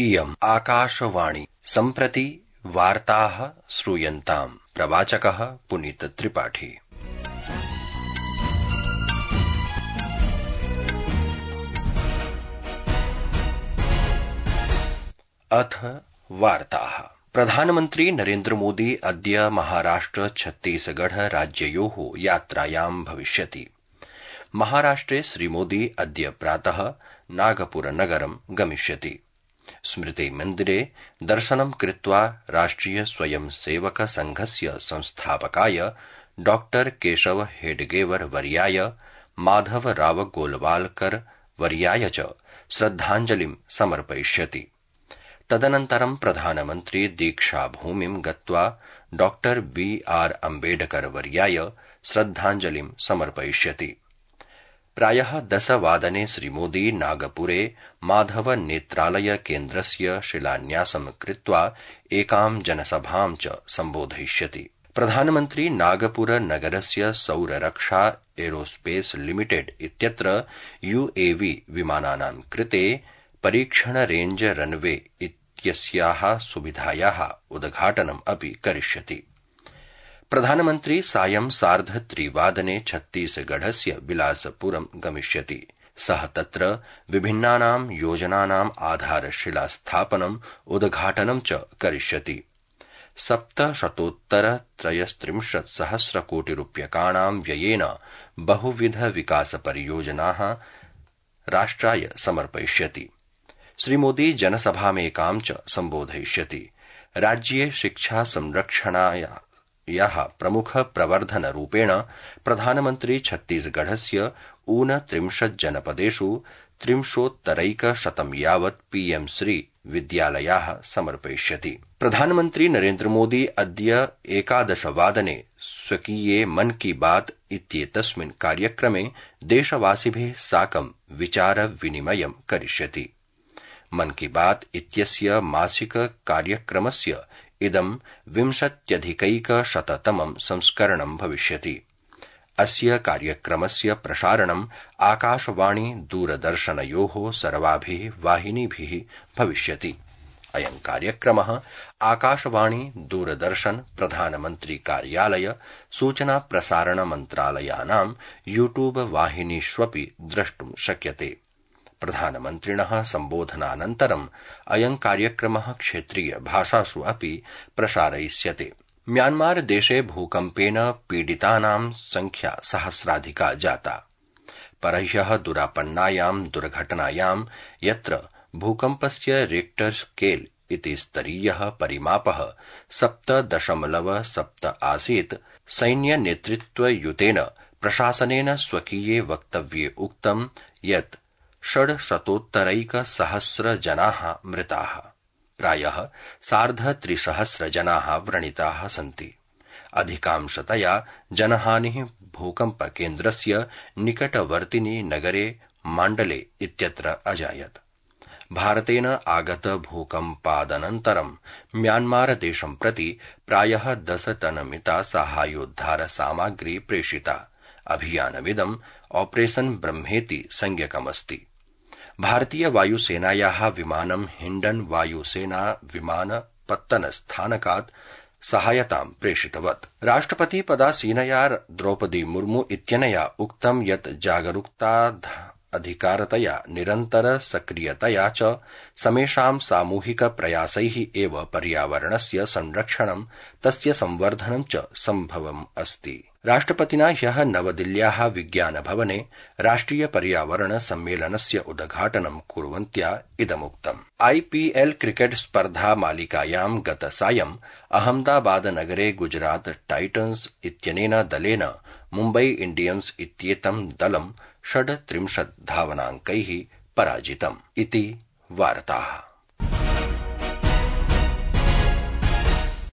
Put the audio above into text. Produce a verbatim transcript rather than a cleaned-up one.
इयम् आकाशवाणी सम्प्रति वार्ताः श्रूयन्ताम्। प्रवाचकः पुनीत त्रिपाठी। अथ वार्ताः। प्रधानमन्त्री नरेन्द्र मोदी अद्य महाराष्ट्र छत्तीसगढ़ राज्ययोः यात्रायां भविष्यति। महाराष्ट्रे श्रीमोदी अद्य प्रातः नागपुरनगरं गमिष्यति। स्मृति मन्दिरे दर्शनं कृत्वा राष्ट्रिय स्वयं सेवक संघस्य संस्थापकाय डॉक्टर केशव हेडगेवर वर्याय, माधव राव गोलवालकर वर्याय च श्रद्धाञ्जलिं समर्पयिष्यति। तदनन्तरं प्रधानमन्त्री दीक्षाभूमिं गत्वा डॉक्टर बी आर अम्बेडकर वर्याय श्रद्धाञ्जलिं समर्पयिष्यति। प्रायः दशवादने श्रीमोदी नागपुरे माधव नेत्रालय केन्द्रस्य शिलान्यासं कृत्वा एकां जनसभां च सम्बोधयिष्यति। प्रधानमन्त्री नागपुर नगरस्य सौररक्षा एरोस्पेस लिमिटेड इत्यत्र यूएवी विमानानां कृते परीक्षण रेंज रनवे इत्यस्याः सुविधायाः उद्घाटनम् अपि करिष्यति। प्रधानमन्त्री सायं सार्धत्रिवादने छत्तीसगढ़स्य बिलासपुरं गमिष्यति। सः तत्र विभिन्नानां योजनानां आधारशिलास्थापनं उद्घाटनं च करिष्यति। सप्तशतोत्तर त्रयस्त्रिंशत् सहस्रकोटिरूप्यकाणां व्ययेन बहुविध विकासपरियोजनाः राष्ट्राय समर्पयिष्यति। श्रीमोदी जनसभामेकां च सम्बोधयिष्यति। राज्ये शिक्षा संरक्षणाय याः प्रमुख प्रवर्धनरूपेण प्रधानमन्त्री छत्तीसगढ़स्य ऊनत्रिंशत् जनपदेषु त्रिंशोत्तरैकशतं यावत् पीएम श्री विद्यालयाः समर्पयिष्यति। प्रधानमन्त्री नरेन्द्र मोदी अद्य एकादशवादने स्वकीये मन की बात इत्येतस्मिन् कार्यक्रमे देशवासिभिः साकं विचार विनिमयं करिष्यति। मन की बात इत्यस्य मासिक कार्यक्रमस्य इदं विंशत्यधिकैकशततमं संस्करणं भविष्यति। अस्य कार्यक्रमस्य प्रसारणम् आकाशवाणी दूरदर्शनयोः सर्वाभिः वाहिनीभिः भविष्यति। अयं कार्यक्रमः आकाशवाणी दूरदर्शन प्रधानमन्त्री कार्यालय सूचना प्रसारण मन्त्रालयानां यूट्यूब वाहिनीष्वपि द्रष्टुं शक्यते। प्रधानमन्त्रिणः सम्बोधनानन्तरम् अयं कार्यक्रमः क्षेत्रीय भाषासु अपि प्रसारयिष्यते। म्यांमार देशे भूकम्पेन पीडितानां संख्या सहस्राधिका जाता। परह्यः दुरापन्नायां दुर्घटनायां यत्र भूकम्पस्य रिक्टर स्केल इति स्तरीयः परिमापः सप्त दशमलव सप्त आसीत्, सैन्यनेतृत्वयुतेन प्रशासनेन स्वकीये वक्तव्ये उक्तं यत् षड्शतोत्तरैकसहस्र जनाः मृताः, प्रायः सार्धत्रिसहस्र जनाः व्रणिताः सन्ति। अधिकांशतया जनहानिः भूकम्पकेन्द्रस्य निकटवर्तिनि नगरे माण्डले इत्यत्र अजायत्। भारतेन आगत भूकम्पादनन्तरं म्यांमार देशं प्रति प्रायः दशटनमिता साहाय्योद्धार सामग्री प्रेषिता। अभियानमिदं ऑपरेशन ब्रह्मेति संज्ञकमस्ति। भारतीय वायुसेनायाः विमानं हिण्डन वायुसेना विमानपत्तनस्थानकात् सहायतां प्रेषितवत्। राष्ट्रपति पदासीनया द्रौपदी मुर्मू इत्यनया उक्तं यत् जागरूकता अधिकारतया निरन्तर सक्रियतया च समेषां सामूहिक प्रयासैः एव पर्यावरणस्य संरक्षणं तस्य संवर्धनं च सम्भवम् अस्ति। राष्ट्रपतिना ह्यः नवदिल्ल्याः विज्ञानभवने राष्ट्रिय पर्यावरण सम्मेलनस्य उद्घाटनं कुर्वन्त्या इदमुक्तम्। आईपीएल क्रिकेट स्पर्धा मालिकायां गतसायं अहमदाबादनगरे गुजरात टाइटन्स इत्यनेन दलेन मुम्बई इंडियन्स इत्येतं दलं षड्त्रिंशत् धावनाङ्कैः पराजितम् इति वार्ताः।